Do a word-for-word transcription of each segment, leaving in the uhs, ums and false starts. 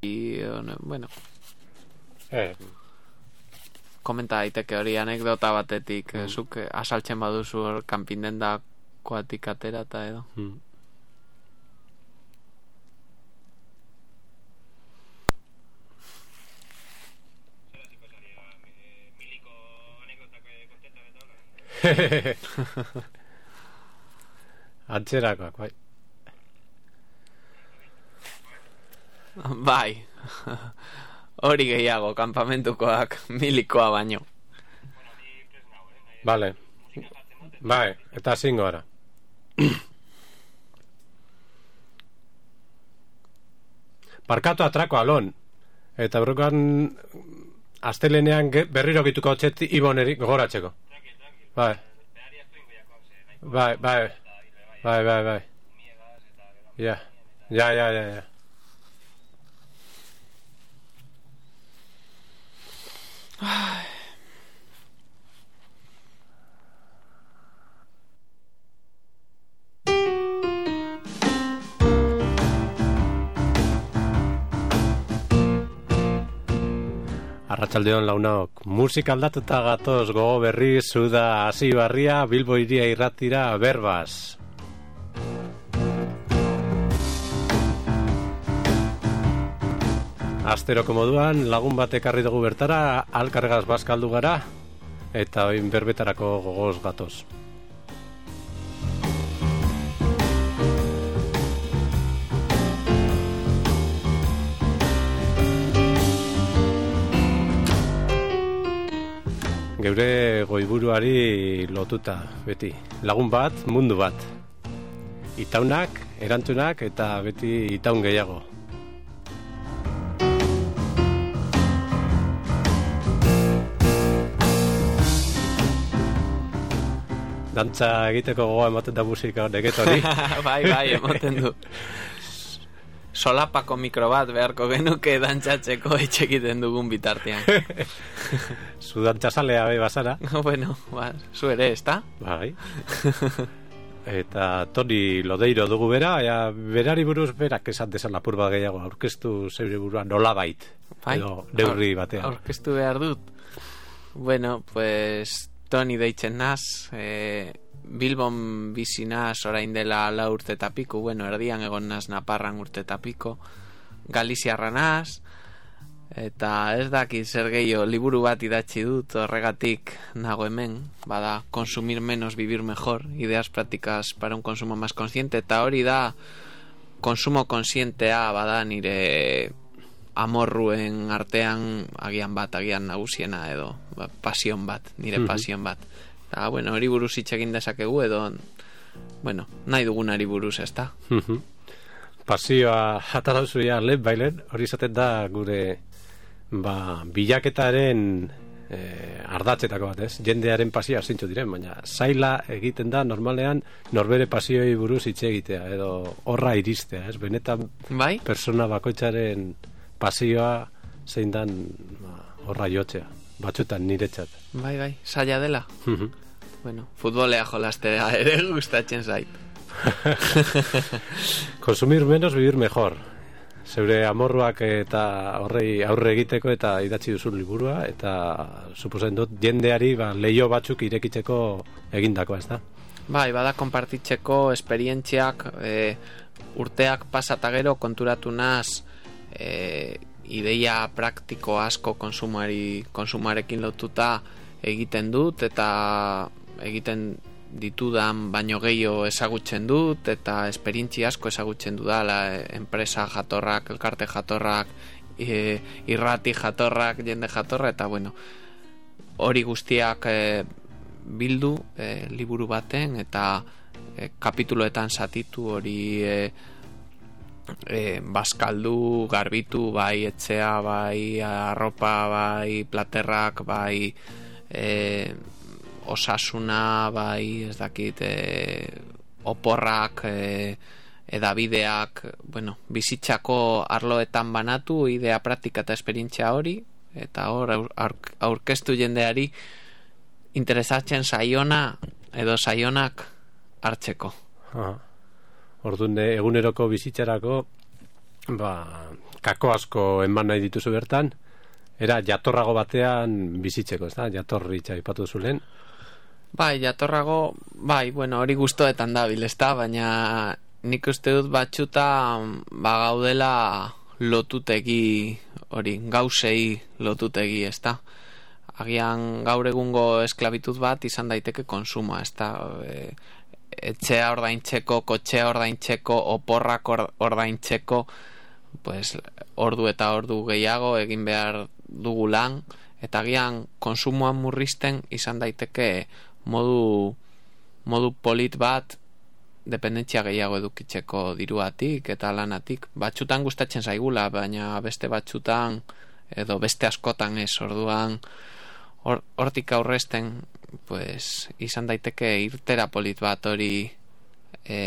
I, bueno. Eh. Komenta daiteke hori anekdota batetik, mm. zuk asaltzen baduzu hor kanpindendakoatik atera eta edo. Mm. Antzerakoak, bai. Bai. Hori gehiago, kanpamentukoak milikoa baino. Vale. Bai, eta zingo ara. Parkatu atrako alon. Eta brokan astelenean berriro gituko txet Iboneri gogoratzeko. Bai. Bai, bai. Bai, bai, bai. Ja. Ja, ja, ja, ja. Arratsaldeon launok, musika aldatuta gatoz gogo berri zuda hasi barria Bilbo iria irratira berbaz. Asteroko moduan lagun bat ekarri dugu bertara, alkargaz bazkaldu gara eta oin berbetarako gogoz gatoz. Geure goiburuari lotuta, beti. Lagun bat, mundu bat. Itaunak, erantzunak eta beti itaun gehiago. Dantza egiteko gogoa ematen da musika negetori. Bai, bai, ematen du. Solapako mikro bat beharko genuke dantzatzeko etxekiten dugun bitartean. Zu dantzazalea bai bazara. Bueno, ba, zu ere, ezta? Bai. Eta Toni Lodeiro dugu bera, ja, berari buruz berak esan desan lapur bat gehiago, aurkeztu zeure buruan nolabait. Bai? Edo neurri batean. Aurkeztu behar dut. Bueno, pues Toni deitzen naz, eh, Bilbon bizi naz orain dela la urte eta piko, bueno, erdian egon naz Naparran urte eta piko, Galiziarra naz, eta ez dakit zer gehiago, liburu bat idatzi dut, horregatik nago hemen, bada, consumir menos, vivir mejor, ideas prácticas para un consumo más consciente, eta hori da, konsumo konsientea, bada, nire amorruen artean, agian bat, agian nagusiena edo, ba, pasion bat, nire mm-hmm. pasion bat. Eta, bueno, hori buruz hitz egin dezakegu edo, bueno, nahi dugunari buruz, ez da? Pasioa atarauzuia lehen bailen, hori izaten da gure ba, bilaketaren eh, ardatzetako bat, ez? Jendearen pasioa zintzu diren, baina zaila egiten da normalean norbere pasioi buruz hitz egitea, edo horra iristea, ez? Benetan bai? Persona bakoitzaren pasioa zein dan ba, horra jotzea, batzutan niretzat. Bai, bai, zaila dela. Bueno, futbolea jolastea ere gustatzen zait. Consumir menos, vivir mejor. Zeure amorruak eta horrei aurre egiteko eta idatzi duzun liburua, eta suposatzen dut jendeari ba, leio batzuk irekitzeko egindakoa, ez da? Bai, bada konpartitzeko esperientziak e, urteak pasata gero konturatu naz e, ideia praktiko asko konsumoari, konsumoarekin lotuta egiten dut eta egiten ditudan baino gehiago ezagutzen dut eta esperientzia asko ezagutzen dudala, enpresa jatorrak, elkarte jatorrak, e, irrati jatorrak, jende jatorra, eta bueno, hori guztiak e, bildu e, liburu baten eta e, kapituloetan zatitu hori e, e, bazkaldu, garbitu, bai etxea, bai arropa, bai platerrak, bai e, osasuna, bai ez dakit e, oporrak, e, edabideak, bueno, bizitzako arloetan banatu idea praktika eta esperientzia hori, eta hor aur, aurkeztu jendeari interesatzen saiona edo saionak hartzeko. Orduan eguneroko bizitzarako ba, kako asko eman nahi dituzu bertan, era jatorrago batean bizitzeko, ez da? Jatorri aipatu zulen. Bai, jatorrago, bai, bueno, hori gustoetan dabil, ez da, baina nik uste dut batxuta ba gaudela lotutegi hori, gauzei lotutegi, ez da. Agian gaur egungo esklabitud bat izan daiteke konsumoa, ez da. E, etxea ordaintzeko, kotxea ordaintzeko, oporrak ordaintzeko, pues, ordu eta ordu gehiago egin behar dugu lan, eta agian konsumoan murrizten izan daiteke modu, modu polit bat dependentzia gehiago edukitzeko diruatik eta lanatik. Batxutan gustatzen zaigula, baina beste batxutan edo beste askotan ez, orduan or, hortik aurresten pues, izan daiteke irtera polit bat hori e,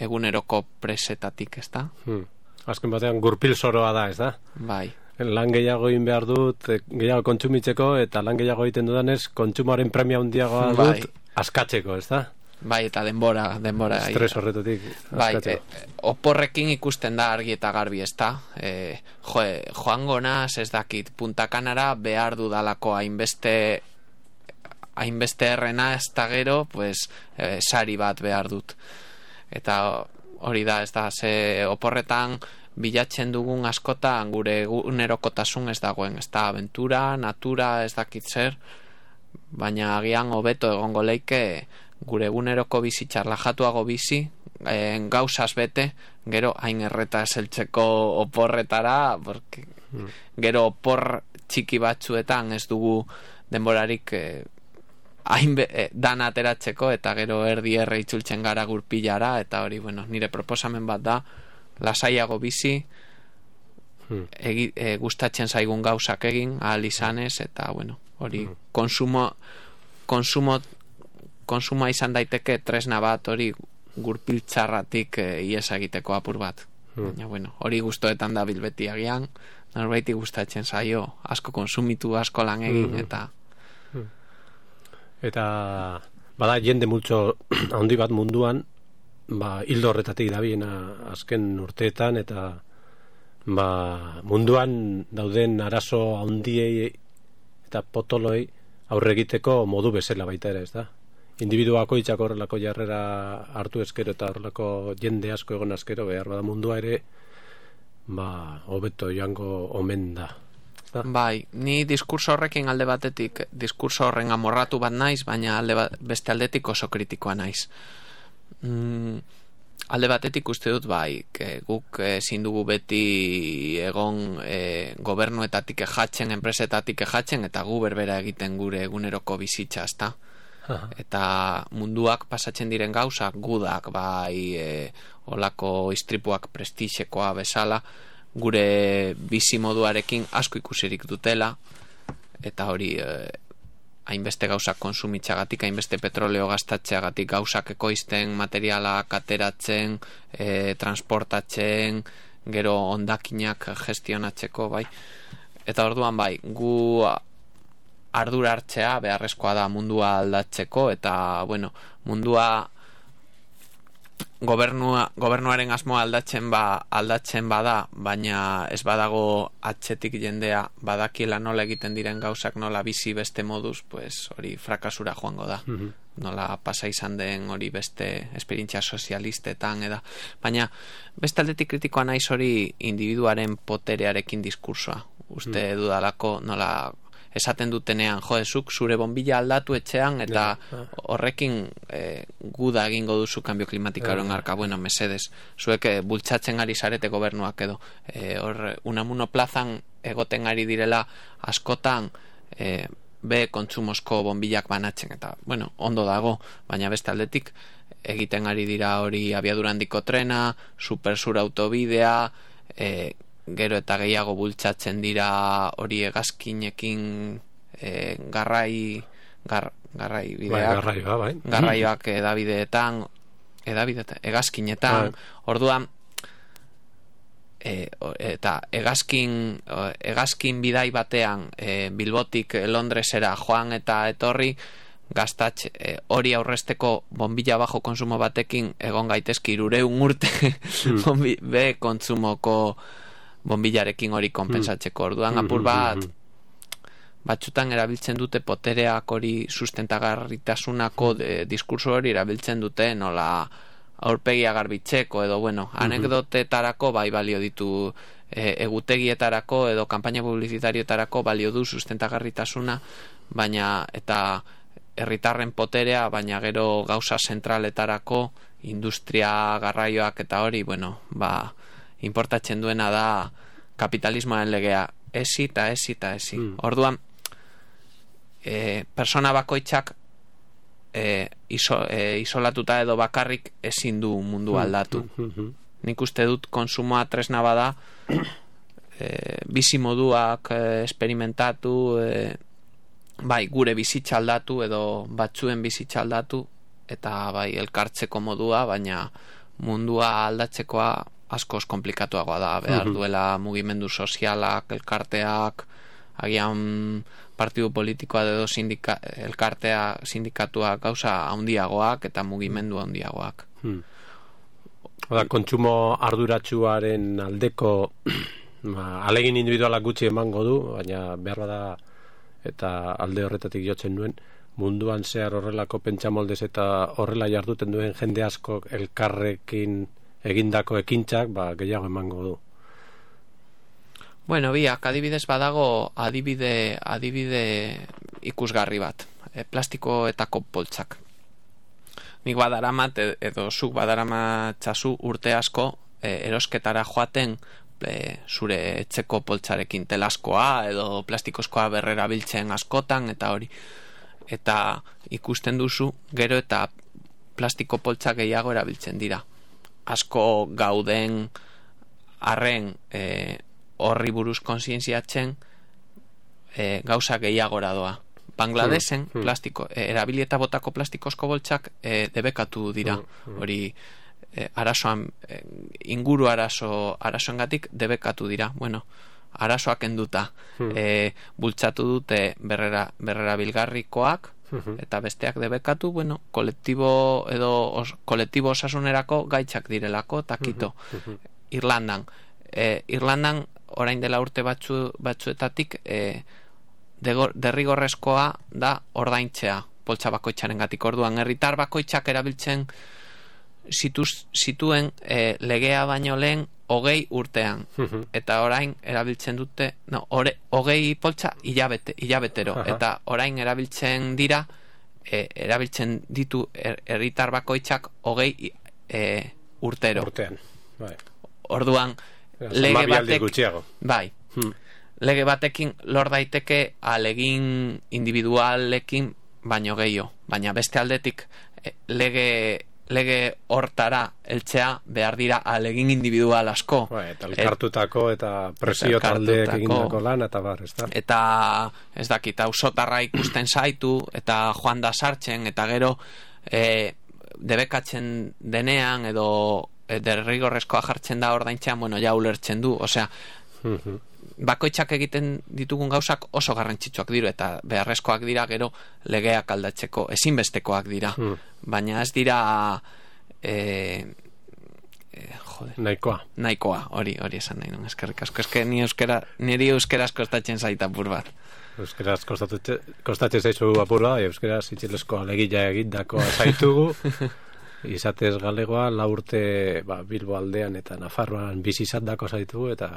eguneroko presetatik, ez da? Hmm. Azken batean gurpil zoroa da, ez da? Bai. Lan gehiago egin behar dut, gehiago kontsumitzeko, eta lan gehiago egiten dudanez, kontsumoaren premia handiagoa dut, bai, askatzeko, ez da? Bai, eta denbora, denbora. Estres horretatik askatzeko. Bai, e, oporrekin ikusten da argi eta garbi, ez da? E, jo, joango naz, ez dakit, puntakanara behar dudalako hainbeste hainbeste errena ez da gero, pues, e, sari bat behar dut. Eta hori da, ez da, ze oporretan bilatzen dugun askotan gure egunerokotasun ez dagoen, ez da, aventura, natura, ez dakit zer, baina agian hobeto egongo leike gure eguneroko bizi, txarlajatuago bizi, e, gauzaz bete, gero hain erreta eseltzeko oporretara, porque mm. gero opor txiki batzuetan ez dugu denborarik e, hain be, e, dan ateratzeko, eta gero erdi erre itzultzen gara gurpilara, eta hori, bueno, nire proposamen bat da, lasaiago bizi, hmm. egi, e, gustatzen zaigun gauzak egin, ahal izanez, eta, bueno, hori, hmm. konsumo, konsumo, konsumoa izan daiteke tresna bat, hori, gurpiltzarratik e, iesa egiteko apur bat. Hmm. Baina, bueno, hori gustoetan da bilbeti agian, norbaiti gustatzen zaio, asko konsumitu, asko lan egin, hmm. eta... Hmm. Eta, bada, jende multzo handi bat munduan, ba, hildo horretatik dabiena azken urteetan, eta ba, munduan dauden arazo handiei eta potoloi aurre egiteko modu bezala baita ere, ez da? Individuako itxako horrelako jarrera hartu eskero eta horrelako jende asko egon askero behar bada mundua ere ba, hobeto joango omen da. Da. Bai, ni diskurso horrekin alde batetik, diskurso horren amorratu bat naiz, baina alde bat, beste aldetik oso kritikoa naiz. Mm, alde batetik uste dut bai, que guk ezin dugu beti egon e, gobernuetatik ejatzen, enpresetatik ejatzen, eta gu berbera egiten gure eguneroko bizitza, ezta? Eta munduak pasatzen diren gauzak, gudak, bai, e, olako istripuak prestixekoa bezala, gure bizimoduarekin asko ikusirik dutela, eta hori eh, hainbeste gauzak konsumitzagatik, hainbeste petroleo gastatzeagatik, gauzak ekoizten, materialak ateratzen, eh, transportatzen, gero hondakinak gestionatzeko, bai. Eta orduan bai, gu ardura hartzea beharrezkoa da mundua aldatzeko, eta bueno, mundua Gobernua, gobernuaren asmoa aldatzen ba, aldatzen bada, baina ez badago atzetik jendea badakiela nola egiten diren gauzak, nola bizi beste moduz, pues hori frakasura joango da. Mm-hmm. Nola pasa izan den hori beste esperientzia sozialistetan eda. Baina beste aldetik kritikoa naiz hori individuaren poterearekin diskursoa. Uste mm. dudalako nola esaten dutenean, jo, zuk zure bombilla aldatu etxean, eta horrekin e, guda egingo duzu kanbio klimatikoaren arka, bueno, mesedes, zuek e, bultzatzen ari zarete gobernuak edo, e, hor, Unamuno plazan egoten ari direla askotan, e, be kontsumozko bombillak banatzen, eta, bueno, ondo dago, baina beste aldetik, egiten ari dira hori abiadura handiko trena, supersur autobidea, e, gero eta gehiago bultzatzen dira hori hegazkinekin e, garrai gar, garrai bideak, bai, garraioa, bai. garraioak edabideetan edabideetan, hegazkinetan, bai. Orduan e, eta hegazkin hegazkin bidai batean e, Bilbotik Londresera joan eta etorri, gastatx e, hori aurresteko bombilla bajo konsumo batekin egon gaitezki hirureun urte mm. bombi, be kontsumoko bombillarekin hori konpensatzeko. Orduan apur bat batzutan erabiltzen dute potereak hori sustentagarritasunako de, diskurso hori erabiltzen dute nola aurpegia garbitzeko edo bueno, anekdotetarako bai balio ditu e, egutegietarako edo kanpaina publizitarioetarako balio du sustentagarritasuna, baina eta herritarren poterea, baina gero gauza zentraletarako industria garraioak eta hori, bueno, ba importatzen duena da kapitalismoaren legea, esi eta esi eta esi. Mm. Orduan e, persona bakoitzak e, iso, e, isolatuta edo bakarrik ezin du mundu aldatu. Mm. Nik uste dut konsumoa tresna bada e, bizimoduak e, esperimentatu, e, bai gure bizitza aldatu edo batzuen bizitza aldatu eta bai elkartzeko modua, baina mundua aldatzekoa askoz komplikatuagoa da, behar duela mugimendu sozialak, elkarteak, agian partidu politikoa edo sindika, elkartea, sindikatuak gauza handiagoak eta mugimendu handiagoak. Hmm. Oda, kontsumo arduratsuaren aldeko ba, alegin individualak gutxi emango du, baina behar bada eta alde horretatik jotzen duen, munduan zehar horrelako pentsamoldez eta horrela jarduten duen jende asko elkarrekin egindako ekintzak ba, gehiago emango du. Bueno, biak, adibidez badago adibide, adibide ikusgarri bat, e, plastikoetako poltsak. Nik badaramat edo zuk badaramatzazu urte asko e, erosketara joaten e, zure etxeko poltsarekin telaskoa edo plastikozkoa berrera biltzen askotan eta hori. Eta ikusten duzu gero eta plastiko poltsak gehiago erabiltzen dira. Asko gauden arren e, horri buruz kontzientziatzen e, gauza gehiagora doa. Bangladesen mm, mm. plastiko, e, erabilieta botako plastikozko boltsak e, debekatu dira. Mm, mm. Hori e, arazoan, e, inguru arazo, arazoengatik debekatu dira. Bueno, arazoak enduta. Mm. E, bultzatu dute berrera, berrera bilgarrikoak, eta besteak debekatu, bueno, kolektibo edo os, kolektibo osasunerako gaitzak direlako, takito. Irlandan. E, Irlandan, orain dela urte batzu, batzuetatik, e, derrigorrezkoa da ordaintzea poltsa bakoitzaren gatik. Orduan, herritar bakoitzak erabiltzen zituz, zituen e, legea baino lehen hogei urtean. Eta orain erabiltzen dute, no, ore, hogei poltsa hilabete, hilabetero. Aha. Eta orain erabiltzen dira, e, erabiltzen ditu herritar bakoitzak hogei e, urtero. Urtean, bai. Orduan, lege batek, bai, hmm. lege batekin lor daiteke alegin individualekin baino gehiago. Baina beste aldetik lege lege hortara heltzea behar dira alegin individual asko. Ba, eta elkartutako eta presio taldeek egindako lan eta bar, ez da? Eta ez dakit, auzotarra ikusten zaitu eta joan da sartzen eta gero e, debekatzen denean edo e, derrigorrezkoa jartzen da ordaintzean, bueno, ja ulertzen du, osea, bakoitzak egiten ditugun gauzak oso garrantzitsuak dira eta beharrezkoak dira gero legeak aldatzeko, ezinbestekoak dira, hmm. baina ez dira e, e, jode, nahikoa nahikoa, hori, hori esan nahi non, eskerrik asko, eske ni euskera, niri euskeraz kostatzen zaita apur bat. Euskeraz kostatzen zaizu apur bat, euskeraz itxilesko alegila egindakoa zaitugu izatez galegoa lau urte ba, Bilbo aldean eta Nafarroan bizi izandako zaitugu eta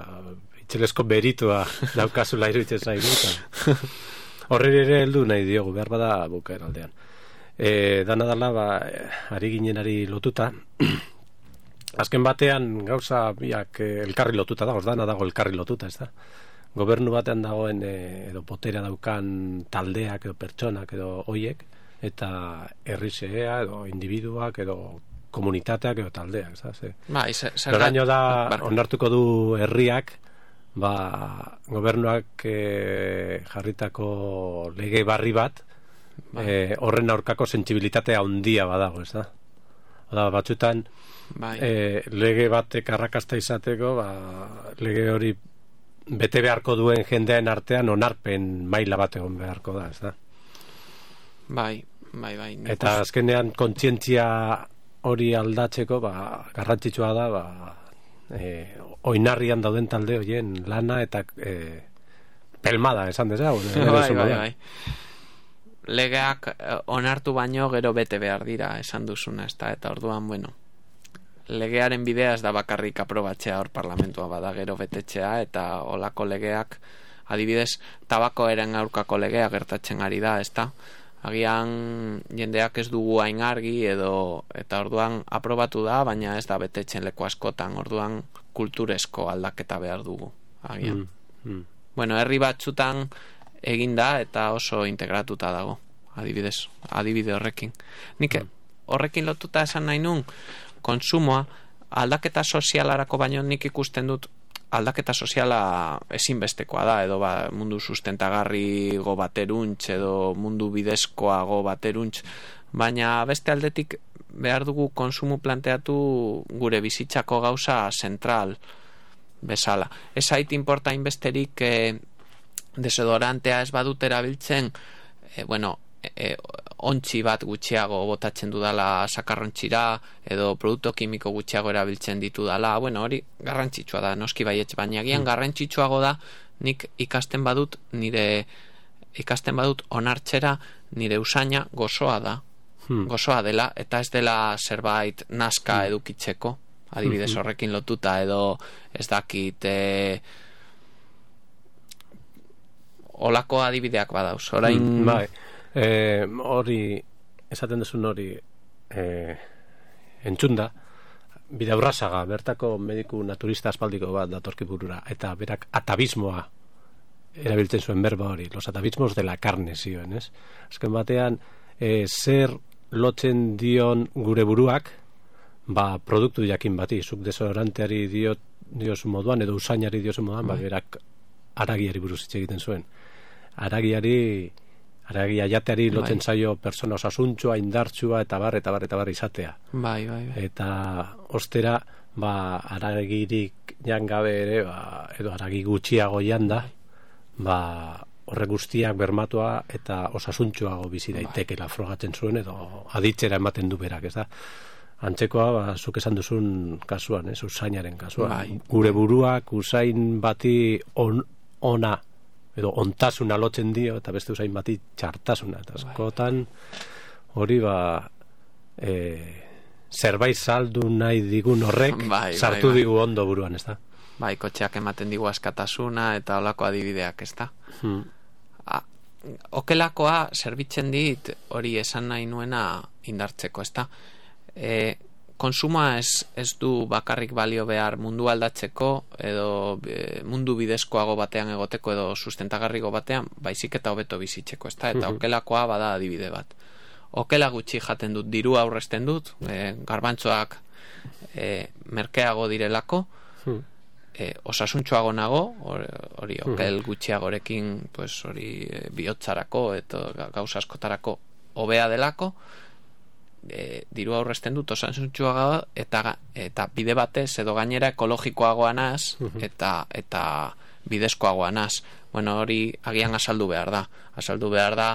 itxelesko beritua daukazula iruditzen zaigu. Horri ere heldu nahi diogu, behar bada bukaer aldean. E, dana dala, ba, ari ginenari lotuta. Azken batean gauza biak elkarri lotuta dago, dana dago elkarri lotuta, ez da? Gobernu batean dagoen edo potera daukan taldeak edo pertsonak edo hoiek, eta herrizea edo individuak edo komunitateak edo taldeak, ez ba, da? Oraino da, onartuko du herriak, ba, gobernuak e, jarritako lege barri bat, bai. e, horren aurkako sentsibilitatea handia badago, ez da? Oda, batzutan, bai. e, lege batek arrakasta izateko, ba, lege hori bete beharko duen jendean artean onarpen maila bat egon beharko da, ez da? Bai, bai, bai. Eta azkenean kontzientzia hori aldatzeko, ba, garrantzitsua da, ba, e, oinarrian dauden talde horien lana eta e, pelmada, esan deza. Bai, bai, bai. Legeak onartu baino gero bete behar dira, esan duzuna, ezta, eta orduan, bueno, legearen bidea ez da bakarrik aprobatzea hor parlamentua bada gero betetzea, eta olako legeak, adibidez, tabakoaren aurkako legea gertatzen ari da, ezta? Agian jendeak ez dugu hain argi edo eta orduan aprobatu da, baina ez da betetzen leku askotan, orduan kulturesko aldaketa behar dugu, agian. Mm, mm. Bueno, herri batzutan egin da eta oso integratuta dago, adibidez, adibide horrekin. Nik mm. horrekin lotuta esan nahi nun, konsumoa, aldaketa sozialarako baino nik ikusten dut aldaketa soziala ezinbestekoa da, edo ba, mundu sustentagarrigo bateruntz, edo mundu bidezkoago bateruntz, baina beste aldetik behar dugu konsumo planteatu gure bizitzako gauza zentral bezala. Ez hait inporta inbesterik eh, desodorantea ez badut erabiltzen, eh, bueno, E, ontzi bat gutxiago botatzen dudala sakarrontzira edo produktu kimiko gutxiago erabiltzen ditu dala, bueno, hori garrantzitsua da, noski baietz, baina agian garrantzitsuago da nik ikasten badut nire ikasten badut onartzera nire usaina gozoa da, hmm. gozoa dela, eta ez dela zerbait nazka hmm. edukitzeko, adibidez horrekin lotuta edo ez dakit e, olako adibideak badauz, orain hmm, bai. Eh, hori esaten duzun hori eh, entzunda Bidaurrasaga bertako mediku naturista aspaldiko bat datorki burura, eta berak atabismoa erabiltzen zuen berba hori, los atabismos de la carne zioen, ez? Azken batean eh, zer lotzen dion gure buruak ba produktu jakin bati, zuk desodoranteari dio diozu moduan edo usainari diozu moduan, ba berak haragiari buruz hitz egiten zuen. Haragiari Aragia jateari lotzen bai. Zaio persona osasuntxua, indartsua eta bar, eta bar, eta bar izatea. Bai, bai, bai. Eta ostera, ba, aragirik jan gabe ere, ba, edo aragi gutxiago janda, ba, horre guztiak bermatua eta osasuntxuago bizi daitekela frogatzen zuen, edo aditzera ematen du berak, ez da? Antzekoa, ba, zuk esan duzun kasuan, ez, usainaren kasuan. Bai. Gure buruak usain bati on, ona, edo ontasuna lotzen dio, eta beste usain bati txartasuna, eta askotan hori ba e, zerbait saldu nahi digun horrek bai, sartu bai, bai. Digu ondo buruan, ez da? Bai, kotxeak ematen digu askatasuna eta olako adibideak, ez da? Hmm. A, okelakoa zerbitzen dit hori esan nahi nuena indartzeko, ez da? E, konsumoa ez, ez du bakarrik balio behar mundu aldatzeko edo e, mundu bidezkoago batean egoteko edo sustentagarrigo batean, baizik eta hobeto bizitzeko, ezta? Eta uh-huh. okelakoa bada adibide bat. Okela gutxi jaten dut, diru aurrezten dut, e, garbantzoak e, merkeago direlako, uh-huh. e, osasuntxoago nago, hori okel gutxiagorekin, pues, hori e, bihotzarako eta gauza askotarako hobea delako, E, diru aurrezten dut osasuntxuago eta, eta bide batez edo gainera ekologikoagoa naz eta, eta bidezkoagoa naz. Bueno, hori agian azaldu behar da azaldu behar da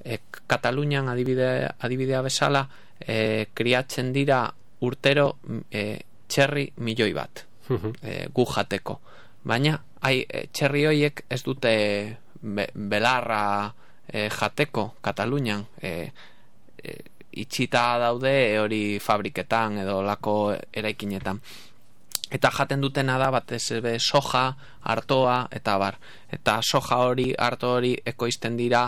e, Katalunian adibide, adibidea bezala e, kriatzen dira urtero e, txerri milioi bat e, gu jateko, baina ai, e, txerri horiek ez dute be, belarra e, jateko Katalunian e, e, itxita daude hori fabriketan edo lako eraikinetan, eta jaten dutena da batez ere soja, artoa eta bar, eta soja hori, arto hori ekoizten dira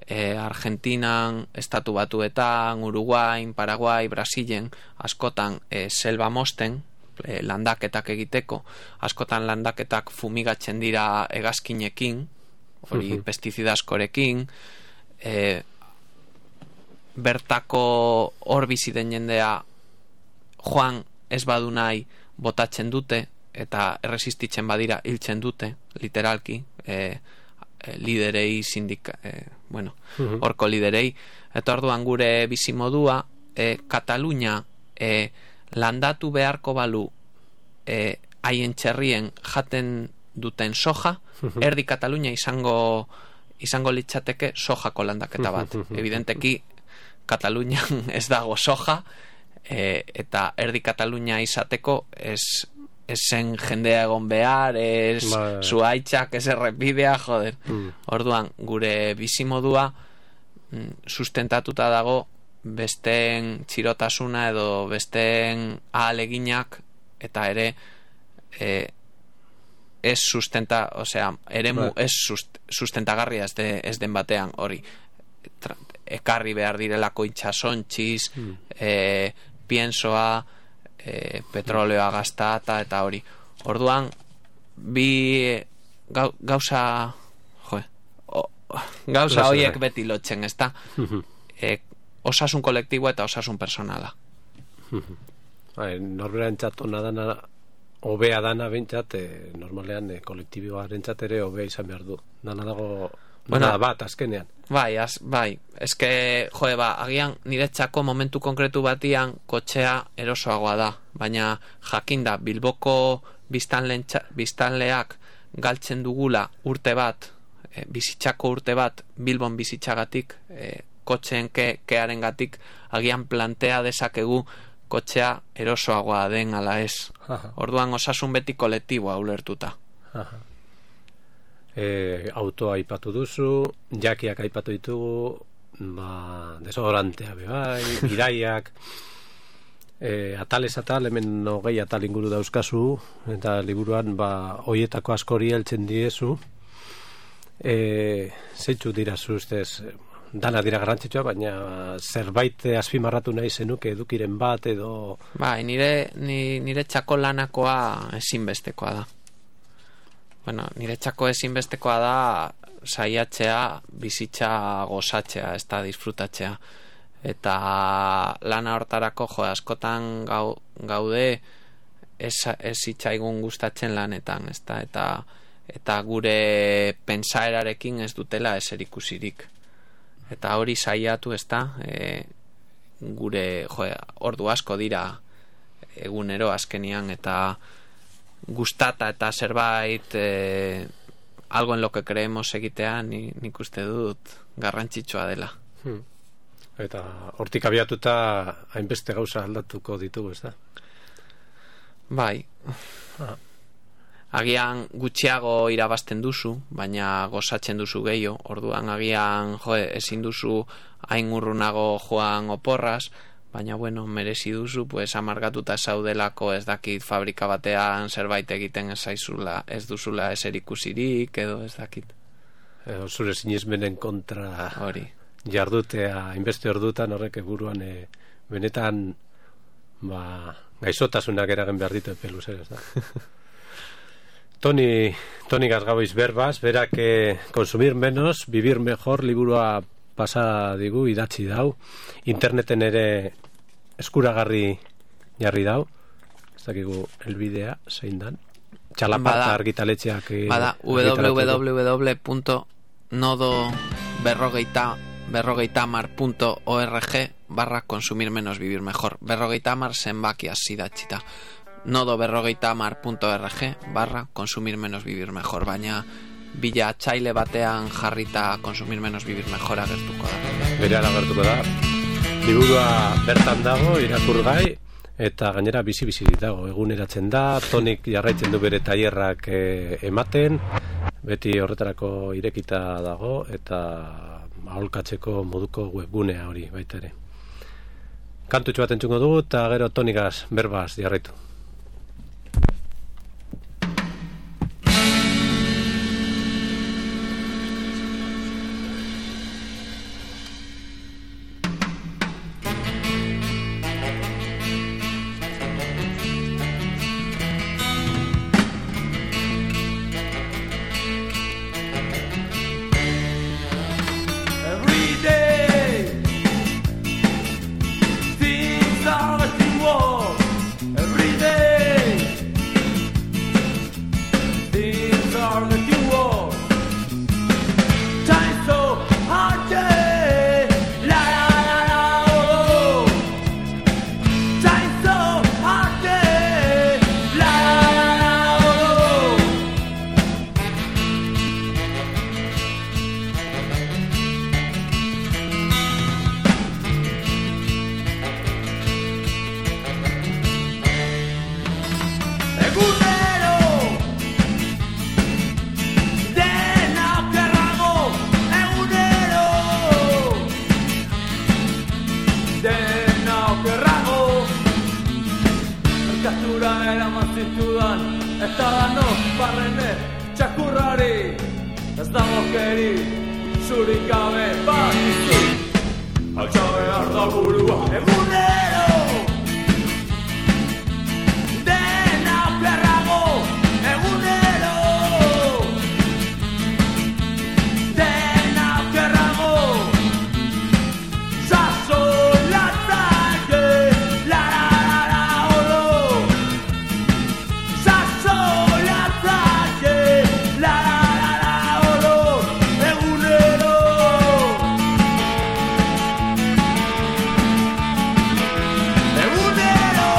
e, Argentinan, Estatu Batuetan, Uruguain, Paraguai, Brasilen, askotan e, selva mosten e, landaketak egiteko, askotan landaketak fumigatzen dira hegazkinekin, hori uh-huh. pestizidaskorekin, e, bertako hor bizi den jendea joan ez badu nahi botatzen dute eta erresistitzen badira hiltzen dute literalki e, e, liderei sindika e, bueno, uh-huh. horko liderei, eta orduan gure bizimodua e, Katalunia e, landatu beharko balu e, haien txerrien jaten duten soja, uh-huh. erdi Katalunia izango izango litzateke sojako landaketa bat. Evidenteki Katalunian ez dago soja, e, eta erdi Katalunia izateko ez, ez zen jendea egon behar, ez ba, zuaitzak, ez errepidea, joder. Mm. Orduan, gure bizimodua sustentatuta dago besteen txirotasuna edo besteen ahaleginak eta ere e, ez sustenta, osea, eremu ez sust, sustentagarria ez, de, ez den batean hori tra, ekarri behar direlako itxasontxiz mm. e, piensoa e, petroleoa gaztata eta hori. Orduan bi gau, gauza joe, o, gauza horiek beti lotzen, ezta? e, osasun kolektiboa eta osasun personala. Norberantzat ona dana hobea dana bentsat, eh, normalean eh, kolektiboarentzat ere hobea izan behar du. Dana dago bueno, nada bat azkenean. Bai, az, bai. Eske, joe, ba, agian niretzako momentu konkretu batian kotxea erosoagoa da, baina jakinda Bilboko biztanleak galtzen dugula urte bat, e, bizitzako urte bat Bilbon bizitzagatik, e, kotxeen ke, kearen gatik, agian plantea dezakegu kotxea erosoagoa den ala ez. Aha. Orduan osasun beti kolektiboa ulertuta. Aha. E, autoa aipatu duzu, jakiak aipatu ditugu, ba, desodorantea bebai, iraiak, e, atalez atal, hemen hogei atal inguru dauzkazu, eta liburuan ba, hoietako askori heltzen diezu. E, zeitzu dira zuztez, dana dira garrantzitsua, baina zerbait azpimarratu nahi zenuke edukiren bat edo... Bai, nire, nire txako lanakoa ezinbestekoa da. Bueno, nire txako ezinbestekoa da saiatzea, bizitza gozatzea, ez da disfrutatzea. Eta lana hortarako, jo, askotan gau, gaude ez, ez itzaigun gustatzen lanetan, ez da, eta, eta gure pentsaerarekin ez dutela eserikusirik. Eta hori saiatu, ez da, e, gure, jo, ordu asko dira egunero azkenian, eta gustata eta zerbait e, algo en lo que creemos egitea ni, nik uste dut garrantzitsua dela. Hmm. Eta hortik abiatuta hainbeste gauza aldatuko ditugu, ez da? Bai. Ah. Agian gutxiago irabazten duzu, baina gozatzen duzu gehiago. Orduan agian jo, ezin duzu hain urrunago joan oporraz, baina bueno, merezi duzu, pues amargatuta zaudelako ez dakit fabrika batean zerbait egiten ez zaizula, ez duzula eserikusirik edo ez dakit. Edo zure sinesmenen kontra hori jardutea, hainbeste ordutan horrek buruan e, benetan ba, gaixotasunak eragen behar ditu epe luzera, ez da? Toni, Toni Gasgaboiz berbaz, berak eh, consumir menos, vivir mejor, liburua pasa digu, idatzi dau, interneten ere eskuragarri jarri dau, ez dakigu elbidea, zein dan, txalaparta argitaletxeak eh, bada, w w w punto nodo berrogeitamar punto org barra consumir menos, vivir mejor, berrogeitamar zenbakiaz idatzita, nodo berrogeitamar punto org barra consumir menos, vivir mejor, baina bila atxaile batean jarrita consumir menos, vivir mejor agertuko da. Berehala agertuko da. Liburua bertan dago, irakurgai, eta gainera bizi-bizi dago, eguneratzen da, Tonik jarraitzen du bere tailerrak e, ematen, beti horretarako irekita dago, eta aholkatzeko moduko webgunea hori baita ere. Kantutxo bat entzungo dugu, eta gero Tonikaz berbaz jarraitu. Every dagokeri zurik gabe bat izu altza behar da burua egunero dena okerrago egunero dena okerrago sasolatzake lararara olo sasolatzake lararara olo egunero egunero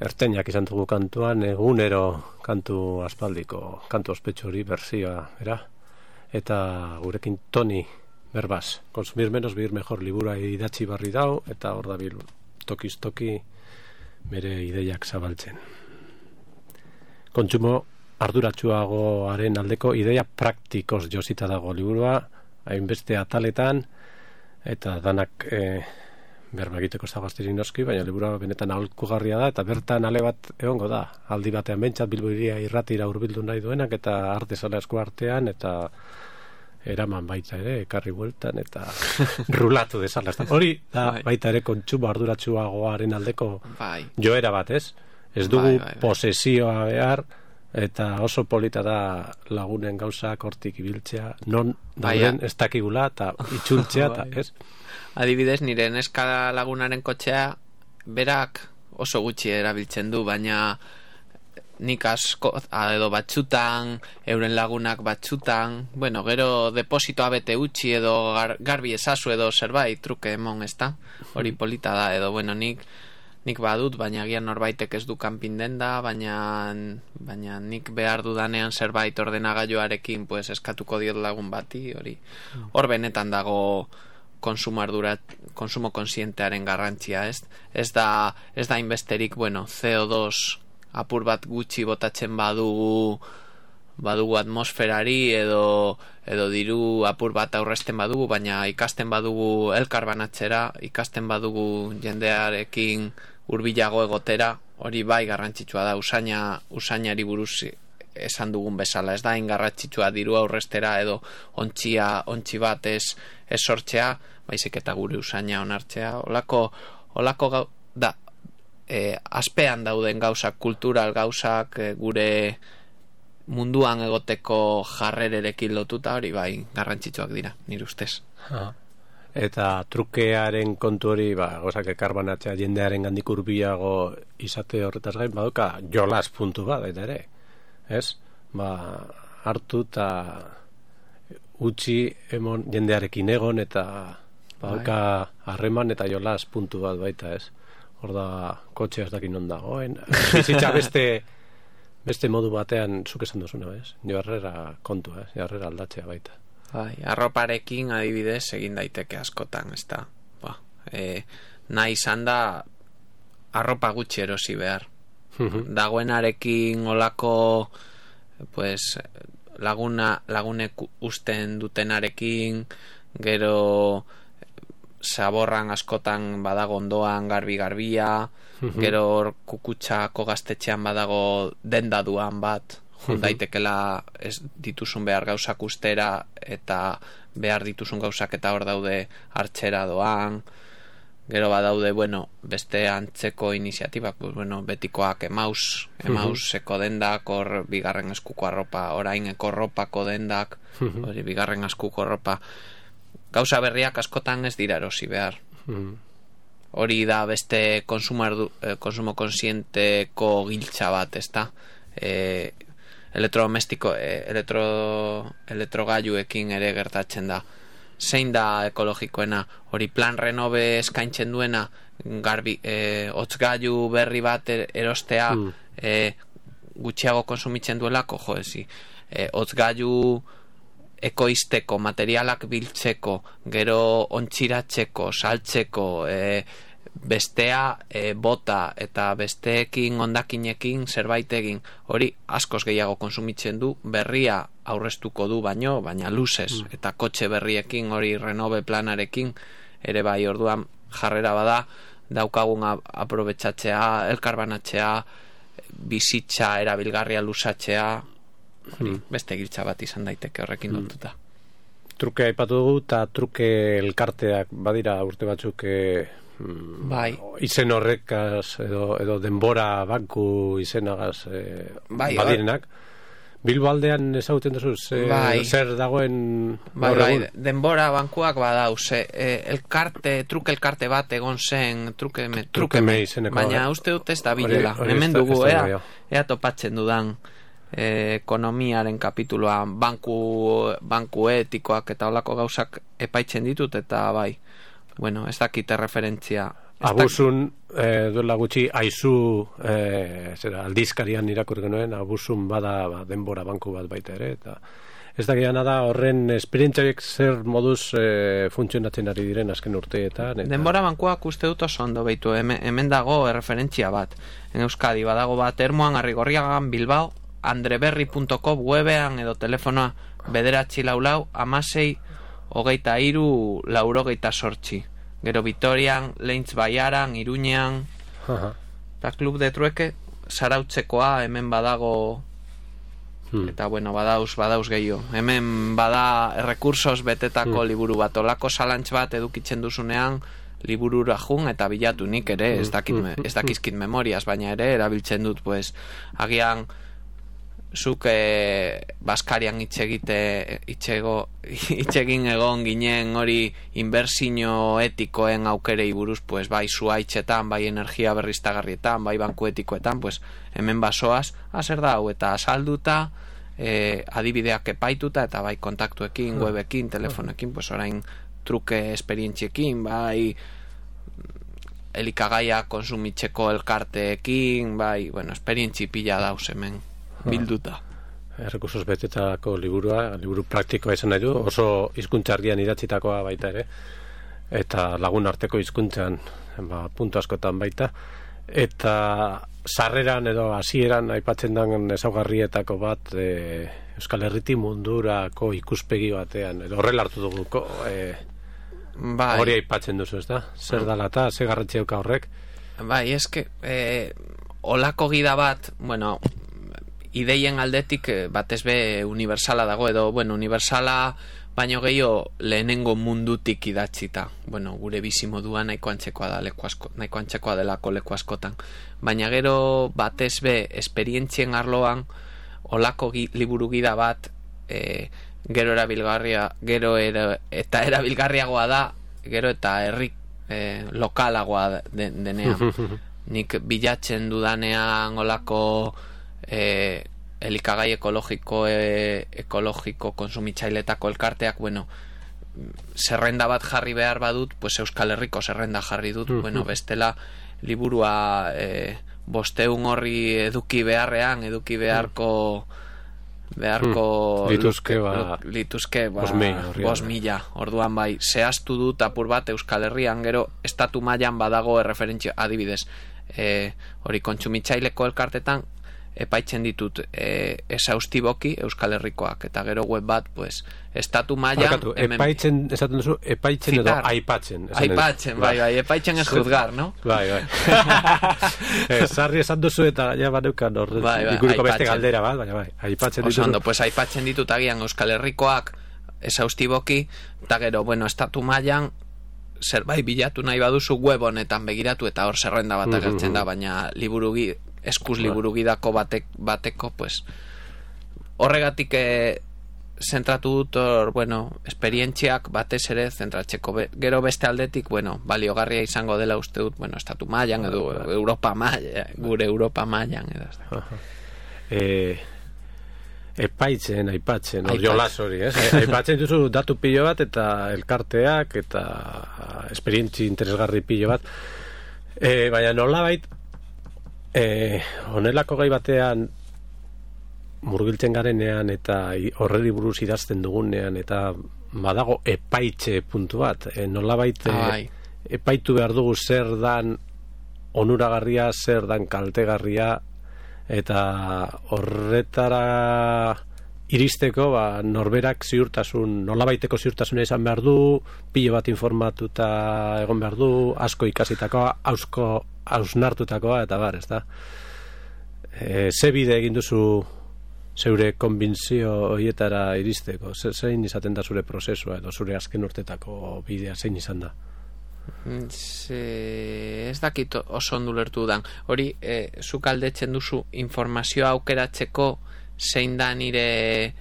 Erteinak izan dugu kantuan, egunero kantu aspaldiko, kantu ospetsu hori berzioa, era? Eta gurekin Toni berbaz, Consumir menos, vivir mejor libura idatzi barri dau, eta hor da bil tokiz toki bere ideiak zabaltzen. Kontsumo arduratsuagoaren aldeko ideia praktikoz josita dago liburua, hainbeste ataletan, eta danak e, berba egiteko ez dago astirik noski, baina liburua benetan aholkugarria da, eta bertan ale bat egongo da. Aldi batean bentsat Bilbo hiria irratira hurbildu nahi duenak, eta arte zala esku artean, eta eraman baita ere, ekarri bueltan, eta rulatu dezala. Hori da baita ere kontsumo arduratsuagoaren aldeko bai. joera bat, ez? Ez dugu bai, bai, bai. posesioa behar, eta oso polita da lagunen gauzak hortik ibiltzea, non dauden ez dakigula, eta itxultzea, eta ez? Adibidez, nire neska lagunaren kotxea berak oso gutxi erabiltzen du, baina nik asko, edo batxutan, euren lagunak batxutan, bueno, gero depositoa bete utzi edo gar, garbi ezazu edo zerbait truke emon, ez da? Hori polita da, edo bueno, nik nik badut, baina gian norbaitek ez du kanpin denda, baina baina nik behar dudanean zerbait ordenagailuarekin pues eskatuko diot lagun bati, hori. Hor benetan dago konsumo ardura, konsumo konsientearen garrantzia, ez? Ez da, ez da inbesterik, bueno, C O dos apur bat gutxi botatzen badugu badugu atmosferari edo edo diru apur bat aurresten badugu, baina ikasten badugu elkar banatzera, ikasten badugu jendearekin hurbilago egotera, hori bai garrantzitsua da, usaina usainari buruz esan dugun bezala, ez da hain garrantzitsua diru aurrestera edo ontzia ontzi bat ez ez sortzea, baizik eta gure usaina onartzea. Olako olako gau, da e, aspean dauden gauzak, kultural gauzak, e, gure munduan egoteko jarrererekin lotuta, hori bai garrantzitsuak dira, nire ustez. Ha. Eta trukearen kontu hori, ba, gozak ekarbanatzea jendearen gandik hurbilago izate horretaz gain, baduka jolas puntu bat, eta ere, ez? Ba, hartu eta utzi emon jendearekin egon, eta baduka harreman eta jolas puntu bat baita, ez? Hor da, kotxea ez dakin non dagoen, bizitza beste beste modu batean zuk esan duzuna, ez? Jarrera kontua, ez? Jarrera aldatzea baita. Bai, arroparekin adibidez egin daiteke askotan, ez da. Ba, e, nahi izan da arropa gutxi erosi behar. Dagoenarekin olako pues laguna lagunek usten dutenarekin, gero zaborran askotan badago ondoan garbi-garbia, gero kukutxako gaztetxean badago denda duan bat, jundaitekela ez dituzun behar gauzak ustera eta behar dituzun gauzak eta hor daude hartxera doan. Gero badaude, bueno, beste antzeko iniziatibak, pues, bueno, betikoak emaus, emauseko dendak, hor bigarren eskuko arropa, oraineko ropako dendak, hori bigarren eskuko ropa. Gauza berriak askotan ez dira erosi behar. Hori da beste konsumo, eh, konsumo konsienteko giltza bat, ezta? Eh, elektrodomestiko, eh, elektro, elektrogailuekin ere gertatzen da. Zein da ekologikoena, hori plan renove eskaintzen duena, garbi, eh, hotzgailu berri bat erostea, mm. eh, gutxiago konsumitzen duelako, jo ezi, eh, hotzgailu ekoizteko, materialak biltzeko, gero ontziratzeko, saltzeko, eh, bestea e, bota eta besteekin hondakinekin zerbait egin, hori askoz gehiago konsumitzen du, berria aurreztuko du baino, baina luzez, mm. eta kotxe berriekin hori renove planarekin ere bai, orduan jarrera bada daukagun aprobetxatzea, elkarbanatzea, bizitza erabilgarria luzatzea, hori mm. beste giltza bat izan daiteke horrekin mm. lotuta. Truke aipatu dugu eta truke elkarteak badira urte batzuk e... Bai. Izen horrekaz edo, edo denbora banku izenagaz eh, bai, badirenak. Bilbo aldean ezagutzen duzu ze, bai. zer dagoen bai, bai, denbora bankuak badauz eh, elkarte, truke elkarte bat egon zen truke me, truke me, izeneko, baina eh? Uste dut ez da bilela, hemen dugu ea, ea topatzen dudan eh, ekonomiaren kapituloa banku, banku etikoak eta olako gauzak epaitzen ditut eta bai. Bueno, ez dakite referentzia. Abusun, eh, duela gutxi, aizu eh, zera, aldizkarian irakur genuen, abusun bada ba, denbora banku bat baita ere, eta ez dakiana da horren esperientziak zer moduz eh, funtzionatzen ari diren azken urteetan. Eta... Denbora bankuak uste dut oso ondo behitu, hemen, hemen dago referentzia bat. En Euskadi badago bat, Ermuan, Arrigorriagan, Bilbao, andreberri punto com webean edo telefonoa bederatzi laulau, amasei, hogeita iru, laurogeita sortzi. Gero Vitorian, Leintz Baiaran, Iruñean, eta Klub de Trueke, Zarautzekoa, hemen badago, hmm. eta bueno, badauz, badauz gehiago. Hemen bada errekursos betetako hmm. liburu bat, olako salantz bat edukitzen duzunean, liburura jun eta bilatu nik ere, ez dakit, ez dakizkit memoriaz, baina ere, erabiltzen dut, pues, agian, zuk e, Baskarian itxegite itxego itxegin egon ginen hori inbertsio etikoen aukerei buruz, pues bai zuaitzetan, bai energia berriztagarrietan, bai banku etikoetan, pues hemen basoaz, zer da hau eta salduta, e, adibideak epaituta eta bai kontaktuekin, webekin, telefonekin, pues orain truke esperientziekin, bai elikagaia konsumitzeko elkarteekin, bai, bueno, esperientzi pila dauz hemen bilduta. Errekursos betetako liburua, liburu praktikoa izan nahi du, oso hizkuntzargian idatzitakoa baita ere, eta lagun arteko hizkuntzan ba, puntu askotan baita, eta sarreran edo hasieran aipatzen den ezaugarrietako bat e, Euskal Herriti mundurako ikuspegi batean, edo horrela hartu duguko e, bai. Hori aipatzen duzu, ez da? Zer dala eta, ze garrantzi dauka horrek? Bai, eske e, olako gida bat, bueno, ideien aldetik batez be universala dago, edo, bueno, universala baino gehiago lehenengo mundutik idatzita. Bueno, gure bizi modua nahiko antzekoa da leku asko, nahiko antzekoa delako leku askotan. Baina gero batez be esperientzien arloan olako gi, liburu gida bat e, gero erabilgarria, gero era, eta erabilgarriagoa da, gero eta herri e, lokalagoa de, denean. Nik bilatzen dudanean olako E, elikagai ekologiko e, ekologiko konsumitzailetako elkarteak, bueno, zerrenda bat jarri behar badut, pues Euskal Herriko zerrenda jarri dut, mm-hmm. bueno, bestela liburua e, bosteun horri eduki beharrean, eduki beharko beharko mm. lituzke ba, lituzke ba, bos mila, orduan bai, zehaztu dut apur bat Euskal Herrian, gero estatu mailan badago referentzia, adibidez, e, hori kontsumitzaileko elkartetan epaitzen ditut e, esaustiboki Euskal Herrikoak, eta gero web bat, pues, estatu mailan... Barkatu, epaitzen, esaten duzu, epaitzen edo aipatzen. Aipatzen, bai, bai, epaitzen ez juzgar, no? Bai, bai. eh, sarri esan duzu eta ja baneukan hor, bai, bai, ikuriko beste galdera bat, baina bai, aipatzen ditut. Osondo, pues aipatzen ditut agian Euskal Herrikoak esaustiboki, eta gero, bueno, estatu mailan zerbait bilatu nahi baduzu web honetan begiratu, eta hor zerrenda bat agertzen da, baina liburugi eskuz liburugidako batek, bateko, pues, horregatik eh, zentratu dut, or, bueno, esperientziak batez ere zentratzeko, be, gero beste aldetik, bueno, baliogarria izango dela uste dut, bueno, estatu mailan, edo Europa mailan, gure Europa mailan, edo. Eh, epaitzen, aipatzen, hor jolas hori, ez? Aipatzen duzu datu pilo bat, eta elkarteak, eta esperientzi interesgarri pilo bat, eh, baina nolabait, Eh, honelako gai batean murgiltzen garenean eta horreri buruz idazten dugunean eta badago epaitze puntu bat, eh, nolabait eh, epaitu behar dugu zer dan onuragarria, zer dan kaltegarria, eta horretara iristeko ba, norberak ziurtasun, nolabaiteko ziurtasuna izan behar du, pilo bat informatuta egon behar du, asko ikasitakoa, ausko hausnartutakoa, eta bar, ez da. E, ze bide egin duzu zeure konbintzio horietara iristeko? Ze, zein izaten da zure prozesua, edo zure azken urtetako bidea zein izan da? Ze, ez dakit oso ondo lertu dan. Hori, e, zuk aldetzen duzu informazioa aukeratzeko zein da nire...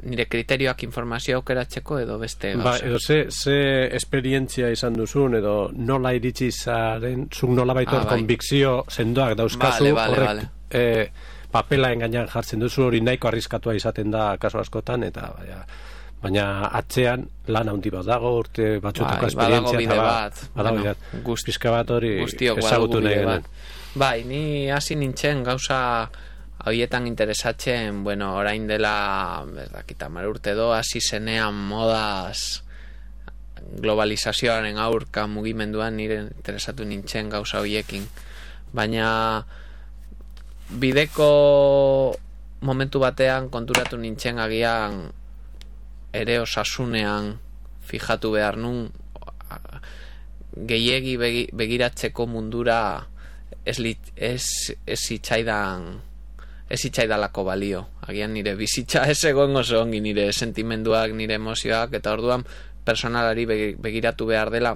nire kriterioak informazio aukeratzeko edo beste gauza. Ba, edo ze, ze esperientzia izan duzun, edo nola iritsi zaren, zuk nola baitu ah, bai. konbikzio sendoak dauzkazu, vale, vale, horrek vale. E, papela engainan jartzen duzu, hori nahiko arriskatua izaten da kaso askotan, eta baina, baina atzean lan handi bat dago, urte batzutako bai, esperientzia, badago bide bat, badago bueno, bide bat, pizka bat hori ezagutu nahi genuen. Bai, ni hasi nintzen gauza horietan interesatzen, bueno, orain dela, ez dakit, hamar urte do, hasi zenean modaz globalizazioaren aurka mugimenduan nire interesatu nintzen gauza horiekin. Baina bideko momentu batean konturatu nintzen agian ere osasunean fijatu behar nun gehiegi begiratzeko mundura ez, ez, ez itxaidan ez itxaidalako balio. Agian nire bizitza ez egon oso ongi, nire sentimenduak, nire emozioak, eta orduan personalari begiratu behar dela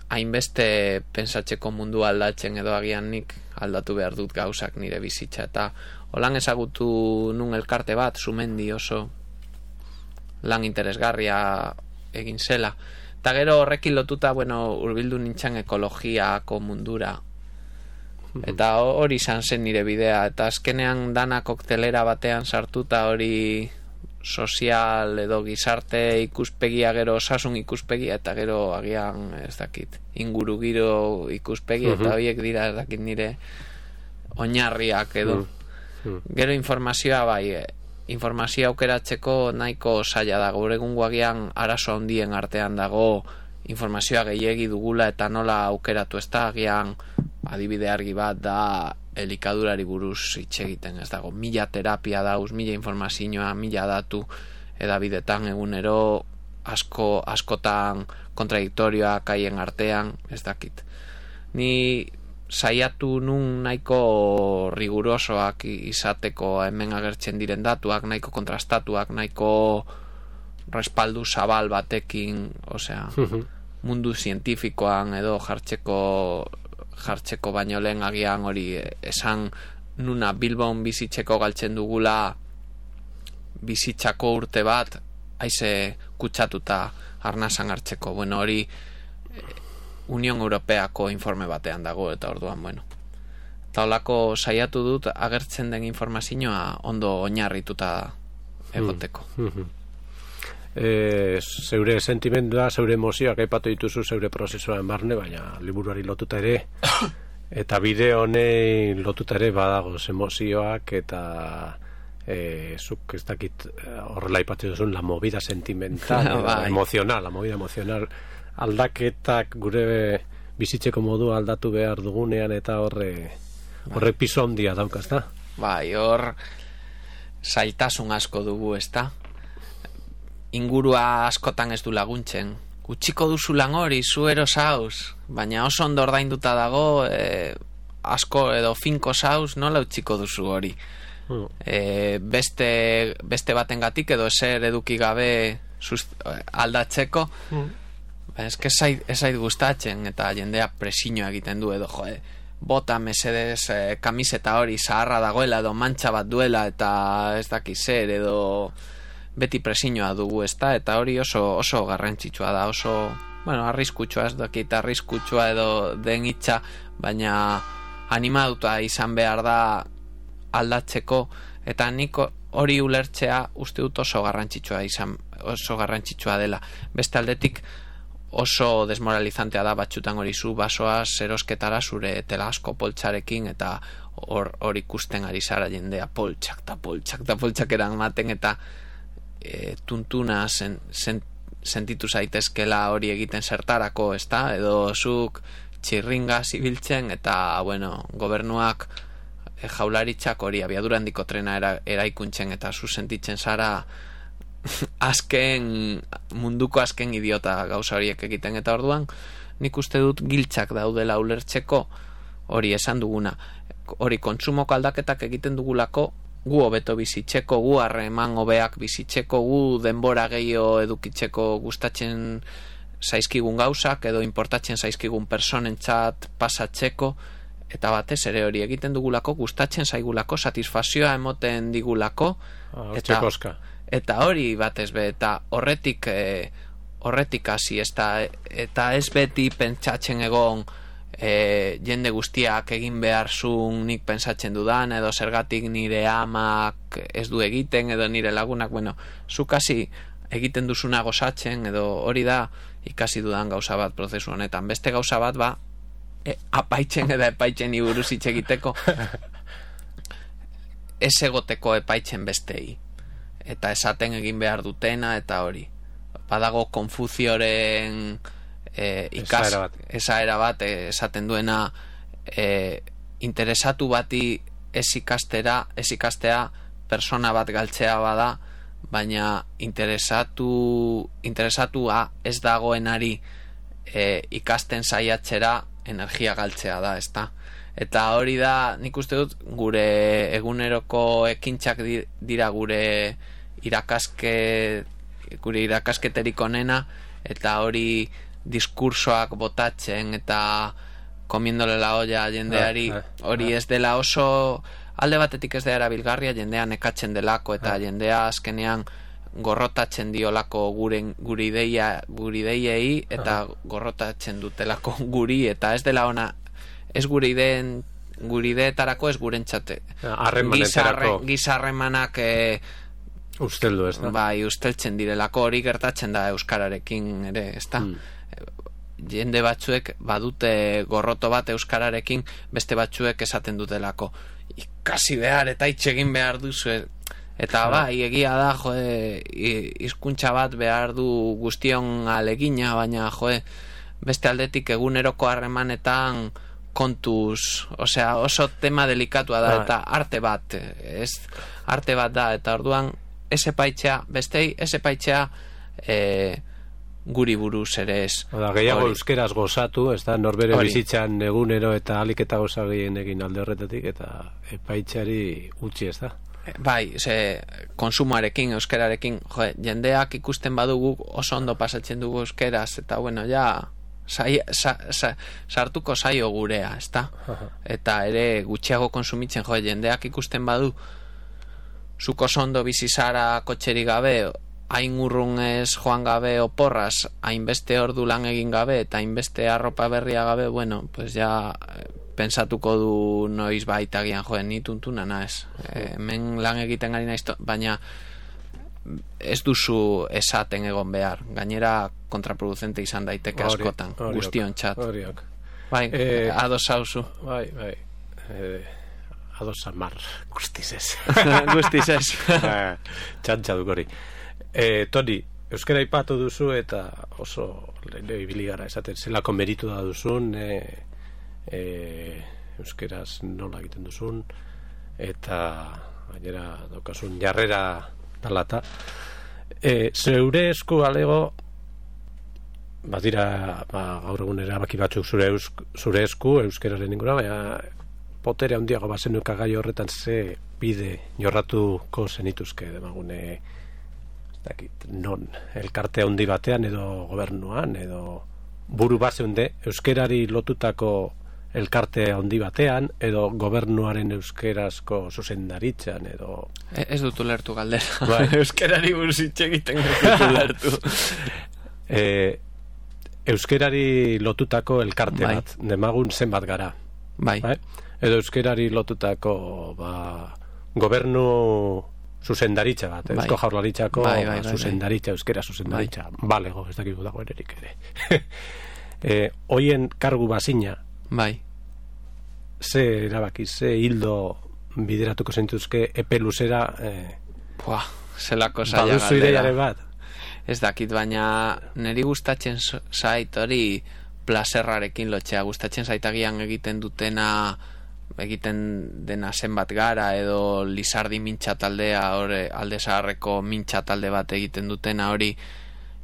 hainbeste pensatzeko mundu aldatzen, edo agian nik aldatu behar dut gauzak nire bizitza. Eta holan ezagutu nun elkarte bat, Sumendi, oso lan interesgarria egin zela. Eta gero horrekin lotuta, bueno, hurbildu nintzen ekologiako mundura. Eta hori izan zen nire bidea, eta azkenean dana koktelera batean sartuta hori sozial edo gizarte ikuspegia, gero osasun ikuspegia, eta gero agian ez dakit inguru giro ikuspegi, eta horiek dira ez dakit nire oinarriak edo. Gero informazioa bai, informazioa aukeratzeko nahiko zaila dago, egungo agian arazo handien artean dago informazioa gehiegi dugula eta nola aukeratu, ez da agian adibide argi bat da elikadurari buruz hitz egiten, ez dago mila terapia dauz, mila informazioa, mila datu edabidetan egunero, asko askotan kontradiktorioak haien artean, ez dakit. Ni saiatu nun nahiko rigurosoak izateko hemen agertzen diren datuak, nahiko kontrastatuak, nahiko respaldu zabal batekin, osea, mundu zientifikoan edo jartzeko jartzeko baino lehen agian hori esan nuna Bilbon bizitzeko galtzen dugula bizitzako urte bat haize kutsatuta arnasan hartzeko. Bueno, hori Union Europeako informe batean dago, eta orduan, bueno, eta holako saiatu dut agertzen den informazioa ondo oinarrituta egoteko. E, zeure sentimendua, zeure emozioak aipatu dituzu zeure prozesuan barne, baina liburuari lotuta ere eta bideo honei lotuta ere badago emozioak, eta e, zuk ez dakit horrela aipatu duzun la movida sentimental, la emocional, la movida emocional, aldaketak gure bizitzeko modu aldatu behar dugunean eta horre horrek piso handia daukaz, da? Bai, hor zailtasun asko dugu, ezta? Ingurua askotan ez du laguntzen. Utziko duzu lan hori, zu ero zauz, baina oso ondo ordainduta dago, e, asko edo finko zauz, nola utziko duzu hori? Mm. E, beste, beste batengatik edo eser eduki gabe sust, aldatzeko, mm. ez que ez zait gustatzen, eta jendea presiño egiten du edo, joe, bota mesedez eh, kamiseta hori zaharra dagoela edo mantxa bat duela eta ez daki zer edo beti presiñoa dugu, ezta, eta hori oso oso garrantzitsua da, oso, bueno, arriskutsua, ez dakit arriskutsua edo den hitza, baina animatuta izan behar da aldatzeko, eta nik hori ulertzea uste dut oso garrantzitsua izan, oso garrantzitsua dela. Beste aldetik oso desmoralizantea da batxutan hori zu basoaz erosketara zure telasko poltsarekin eta hor hor ikusten ari zara jendea poltsak eta poltsak eta poltsak eramaten eta e, tuntuna zen, zen, sentitu zaitezkela hori egiten zertarako, ezta? Edo zuk txirringa zibiltzen eta, bueno, gobernuak e, jaularitzak hori abiadura handiko trena era, eraikuntzen eta zu sentitzen zara azken munduko azken idiota gauza horiek egiten, eta orduan nik uste dut giltzak daudela ulertzeko hori esan duguna, hori kontsumoko aldaketak egiten dugulako gu hobeto bizitzeko, gu harreman hobeak bizitzeko, gu denbora gehiago edukitzeko gustatzen zaizkigun gauzak edo importatzen zaizkigun personentzat pasatzeko, eta batez ere hori egiten dugulako gustatzen zaigulako, satisfazioa emoten digulako, ah, eta txekoska. Eta hori batez be, eta horretik e, horretik hasi, eta, eta ez beti pentsatzen egon e, jende guztiak egin behar zuen nik pentsatzen dudan, edo zergatik nire amak ez du egiten, edo nire lagunak, bueno, zuk hasi egiten duzuna gozatzen, edo hori da ikasi dudan gauza bat prozesu honetan. Beste gauza bat ba, e, apaitzen edo epaitzen iburuz hitz egiteko, ez egoteko epaitzen bestei. Eta esaten egin behar dutena, eta hori. Badago Konfuzioren e, ikas, esaera bat, esaera bat e, esaten duena e, interesatu bati ez ikastera, ez ikastea persona bat galtzea bada, baina interesatu, interesatua ez dagoenari e, ikasten saiatzera energia galtzea da, ezta? Eta hori da, nik uste dut, gure eguneroko ekintzak dira gure irakaske, gure irakasketerik onena, eta hori diskursoak botatzen eta komiendole la olla jendeari, hori ez dela oso, alde batetik ez da erabilgarria, jendea nekatzen delako, eta jendea azkenean gorrotatzen diolako gure, gure ideia, gure ideiei, eta gorrotatzen dutelako guri, eta ez dela ona, ez gure ideen, gure ideetarako ez gurentzate. Harremanetarako. Gizarremanak e, usteldu, ez da? Bai, usteltzen direlako, hori gertatzen da euskararekin ere, ez da? Mm. Jende batzuek badute gorroto bat euskararekin, beste batzuek esaten dutelako. Ikasi behar eta itxegin behar duzu. Eta bai, egia da, joe, hizkuntza bat behar du guztion alegina, baina, joe, beste aldetik eguneroko harremanetan kontuz, osea, oso tema delikatua da, eta arte bat, ez, arte bat da, eta orduan, ez epaitzea, bestei, ez epaitzea, e, guri buruz ere ez. Oda, gehiago euskeraz gozatu, ez da, norbere bizitzan egunero eta alik eta goza gehien egin alde horretatik, eta epaitzeari utzi, ez da? Bai, ze, konsumoarekin, euskerarekin, jo, jendeak ikusten badugu oso ondo pasatzen dugu euskeraz, eta bueno, ja, sai, sa, sa, sartuko zaio gurea, ez da? Eta ere gutxiago konsumitzen, jo, jendeak ikusten badu, zuko ondo bizizara kotxeri gabe, hain urrun ez joan gabe oporraz, hainbeste ordu lan egin gabe, eta hainbeste arropa berria gabe, bueno, pues ja pensatuko du noiz baita gian, joen, ni tuntuna naiz. Hemen lan egiten gari naiz, baina ez duzu esaten egon behar. Gainera kontraproducente izan daiteke askotan, guztion txat. Bai, eh, ados hauzu. Bai, bai. Eh, ados amar, guztizez. Guztizez. Txantxa duk hori. Eh, Toni, euskara aipatu duzu eta oso lehene ibili gara esaten zelako meritu da duzun, e, e, euskeraz nola egiten duzun, eta gainera daukasun jarrera talata. E, zeure esku alego, badira ba, gaur egun erabaki batzuk zure, eusk, zure esku euskeraren ingura, baina potere handiago bazenuka gai horretan ze bide jorratuko zenituzke demagune dakit, non elkarte handi batean edo gobernuan edo buru bazeunde euskerari lotutako elkarte handi batean edo gobernuaren euskerazko zuzendaritzan edo Ez dut ulertu galdera. Bai. Euskerari buruz hitz egiten ez dut ulertu. e, euskerari lotutako elkarte Bai. bat demagun zenbat gara. Bai. Bai? Edo euskerari lotutako ba, gobernu zuzendaritza bat, Bai. Eusko Jaurlaritzako Bai, bai, bai, zuzendaritza, euskera zuzendaritza, balego, ez dakigu dago ererik ere. e, Oien kargu bazina, Bai. ze erabaki, ze hildo bideratuko zentuzke epe luzera e, Pua, zelako zaila baduzu galdera. ideiaren bat? Ez dakit, baina niri gustatzen so- zait hori plazerrarekin lotzea. Gustatzen zaitagian egiten dutena, egiten dena zenbat gara, edo Lizardi mintxa taldea, hori alde zaharreko mintxa talde bat egiten dutena, hori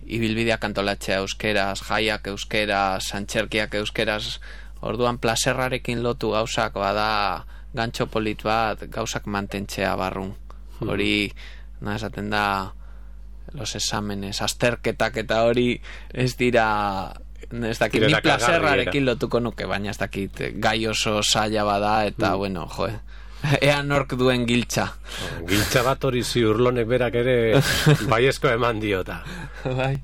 ibilbideak antolatzea euskeraz, jaiak euskeraz, antxerkiak euskeraz, orduan plazerrarekin lotu gauzak bada gantxo polit bat, gauzak mantentzea barrun. Hori, na esaten da, los exámenes, azterketak eta hori ez dira, ez dakit, ni Direla plazerrarekin lotuko nuke, baina ez dakit, gai oso zaila bada eta, bueno, jo, ea nork duen giltza. Giltza bat hori ziurlonek berak ere baiezko eman diota. Bai.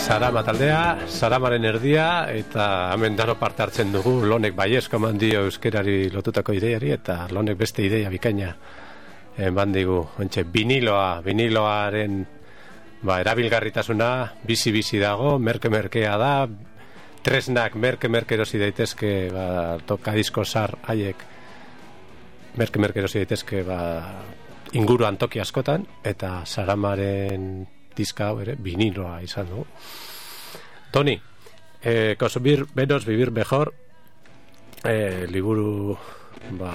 Sarama taldea, Saramaren erdia, eta hemen dano parte hartzen dugu, Lonek baiezko eman dio euskerari lotutako ideiari, eta Lonek beste ideia bikaina eman digu, ontxe, viniloa, viniloaren ba, erabilgarritasuna, bizi-bizi dago, merke-merkea da, tresnak merke-merke erosi daitezke, ba, tokadisko zar haiek, merke-merke erosi daitezke, ba, inguruan toki askotan, eta Saramaren diska hau ere, viniloa izan du. Toni, eh, consumir menos, vivir mejor, e, liburu ba,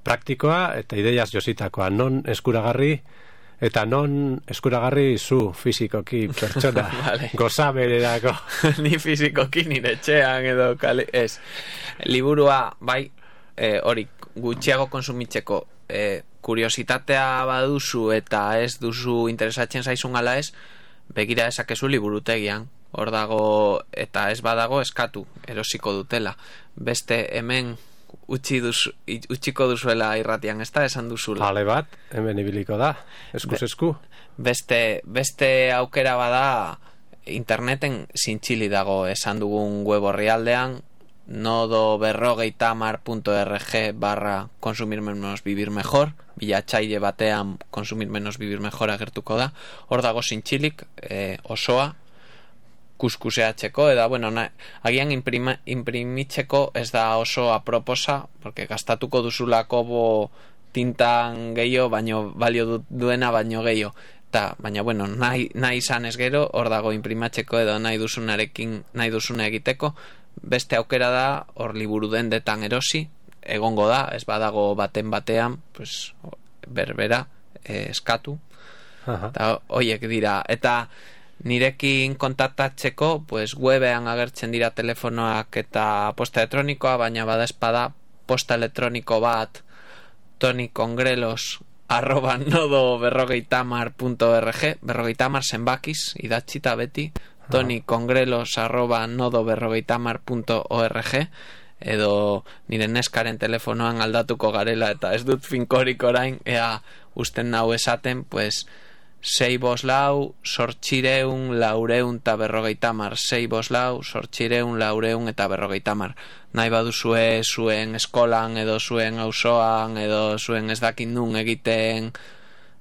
praktikoa eta ideiaz jositakoa, non eskuragarri eta non eskuragarri zu fizikoki pertsona vale. gozabererako. Ni fizikoki nire etxean edo kale, ez. Liburua, bai, e, hori, gutxiago konsumitzeko e, kuriositatea baduzu eta ez duzu interesatzen zaizun ala ez, begira ezakezu liburutegian. Hor dago, eta ez badago eskatu, erosiko dutela. Beste hemen utzi duzu, utziko duzuela irratian, ez da esan duzula. Ale bat, hemen ibiliko da, eskuz esku. Beste, beste aukera bada interneten zintxili dago esan dugun web orrialdean, nodo berrogeitamar punto org barra consumir menos vivir mejor, bilatzaile batean consumir menos vivir mejor agertuko da. Hor dago zintxilik, eh, osoa, kuskuseatzeko, eta bueno, na, agian imprima, imprimitzeko ez da oso aproposa, porque gastatuko duzulako bo tintan gehiago, baino balio du, duena baino gehiago. Ta, baina bueno, nahi, nahi izan ez gero, hor dago imprimatzeko edo nahi duzunarekin, nahi duzuna egiteko, beste aukera da, hor liburu dendetan erosi, egongo da, ez badago baten batean, pues, berbera, eh, eskatu, eta hoiek dira, eta nirekin kontaktatzeko, pues webean agertzen dira telefonoak eta posta elektronikoa, baina bada espada posta elektroniko bat tonikongrelos arroba nodo berrogeitamar punto org, berrogeitamar zenbakiz idatzita beti, tonikongrelos arroba nodo berrogeitamar punto org, edo nire neskaren telefonoan aldatuko garela eta ez dut finkorik orain, ea usten nau esaten, pues sei bos lau, sortxireun, laureun eta berrogeitamar, sei bos lau, sortxireun, laureun eta berrogeitamar. Nahi baduzue zuen eskolan edo zuen auzoan edo zuen ez dakin nun egiten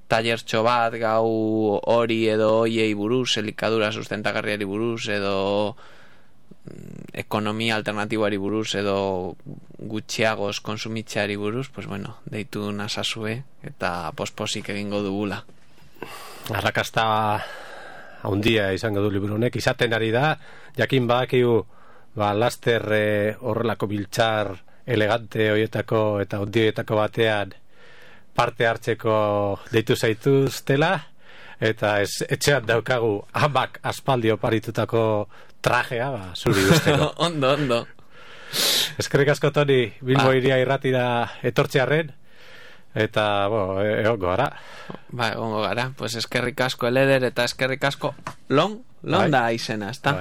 talertxo bat gau hori edo hoiei buruz, elikadura sustentagarriari buruz edo ekonomia alternatiboari buruz edo gutxiagoz konsumitzeari buruz, pues bueno, deitu nazazue eta posposik egingo dugula. Arrakasta handia izango du liburu honek, izaten ari da, jakin badakigu ba, laster e, horrelako biltzar elegante hoietako eta ondioetako batean parte hartzeko deitu zaituztela, eta ez, etxean daukagu amak aspaldi oparitutako trajea, ba, zuri usteko. Ondo, ondo. Eskerrik asko, Toni, Bilbo iria irratira etortzearren, eta, bo, egongo gara. Ba, egongo gara. Pues eskerrik asko Eleder eta eskerrik asko Lon, Lon da izena, ezta?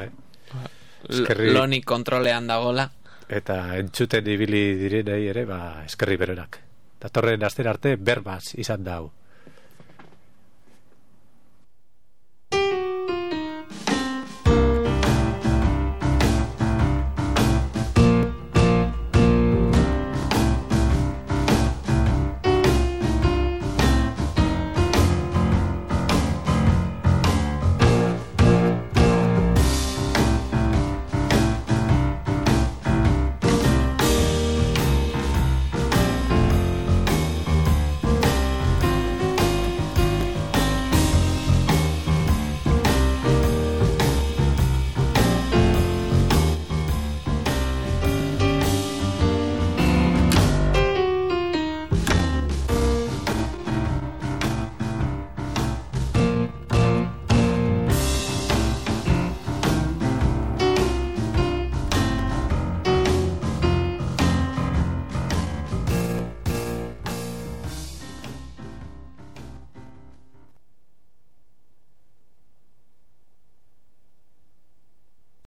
Eskerri... Loni kontrolean dagola. Eta entzuten ibili direnei ere, ba, eskerri berenak. Datorren astera arte berbaz izan dau.